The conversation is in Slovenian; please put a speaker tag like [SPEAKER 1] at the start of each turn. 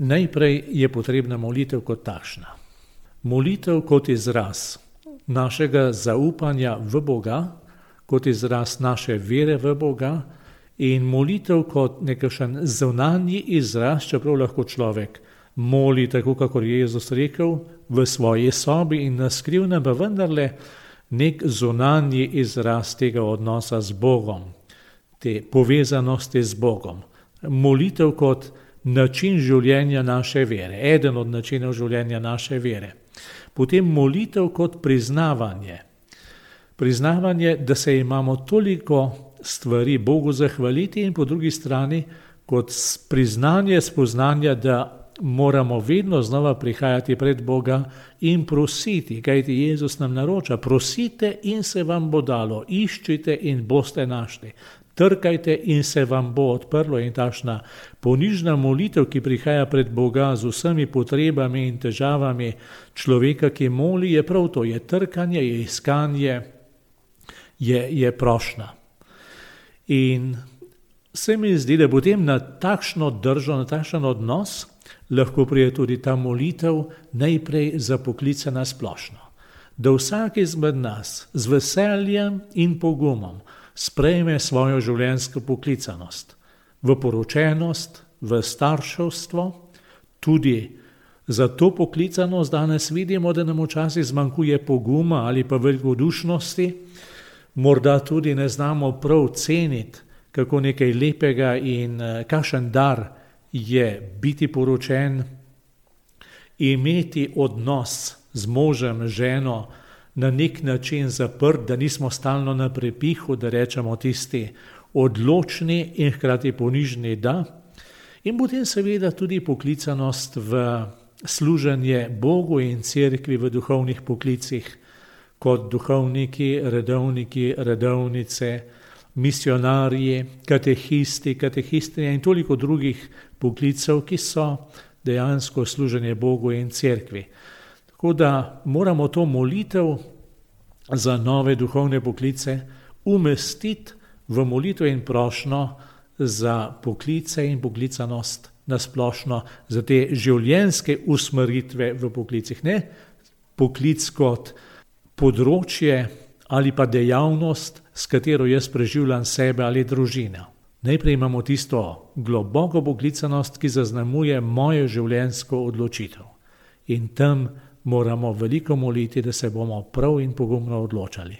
[SPEAKER 1] Najprej je potrebna molitev kot takšna. Molitev kot izraz našega zaupanja v Boga, kot izraz naše vere v Boga in molitev kot nekakšen zunanji izraz, čeprav lahko človek moli tako, kakor je Jezus rekel, v svoji sobi in na skrivnem, pa vendarle nek zunanji izraz tega odnosa z Bogom, te povezanosti z Bogom. Molitev kot način življenja naše vere, eden od načinov življenja naše vere. Potem molitev kot priznavanje. Priznavanje, da se imamo toliko stvari Bogu zahvaliti in po drugi strani kot priznanje, spoznanja, da moramo vedno znova prihajati pred Boga in prositi, kajti Jezus nam naroča, prosite in se vam bo dalo, iščite in boste našli. Trkajte in se vam bo odprlo in takšna ponižna molitev, ki prihaja pred Boga z vsemi potrebami in težavami človeka, ki moli, je prav to, je trkanje, je iskanje, je prošnja. In se mi zdi, da potem na takšno držo, na takšen odnos lahko prije tudi ta molitev najprej za poklice na splošno. Da vsak izmed nas z veseljem in pogumom sprejme svojo življenjsko poklicanost, v poročenost, v starševstvo, tudi za to poklicanost danes vidimo, da nam včasih zmanjkuje poguma ali pa velikodušnosti, morda tudi ne znamo prav ceniti, kako nekaj lepega in kakšen dar je biti poročen, imeti odnos z možem, ženo, na nek način zaprt, da nismo stalno na prepihu, da rečemo tisti odločni in hkrati ponižni da. In potem seveda tudi poklicanost v služenje Bogu in cerkvi v duhovnih poklicih, kot duhovniki, redovnice, misionarji, katehisti, katehistinje in toliko drugih poklicev, ki so dejansko služenje Bogu in cerkvi. Tako da moramo to molitev za nove duhovne poklice umestiti v molitev in prošnjo za poklice in poklicanost na splošno, za te življenjske usmeritve v poklicih. Ne poklic kot področje ali pa dejavnost, s katero jaz preživljam sebe ali družino. Najprej imamo tisto globoko poklicanost, ki zaznamuje mojo življenjsko odločitev. In tam moramo veliko moliti, da se bomo prav in pogumno odločali.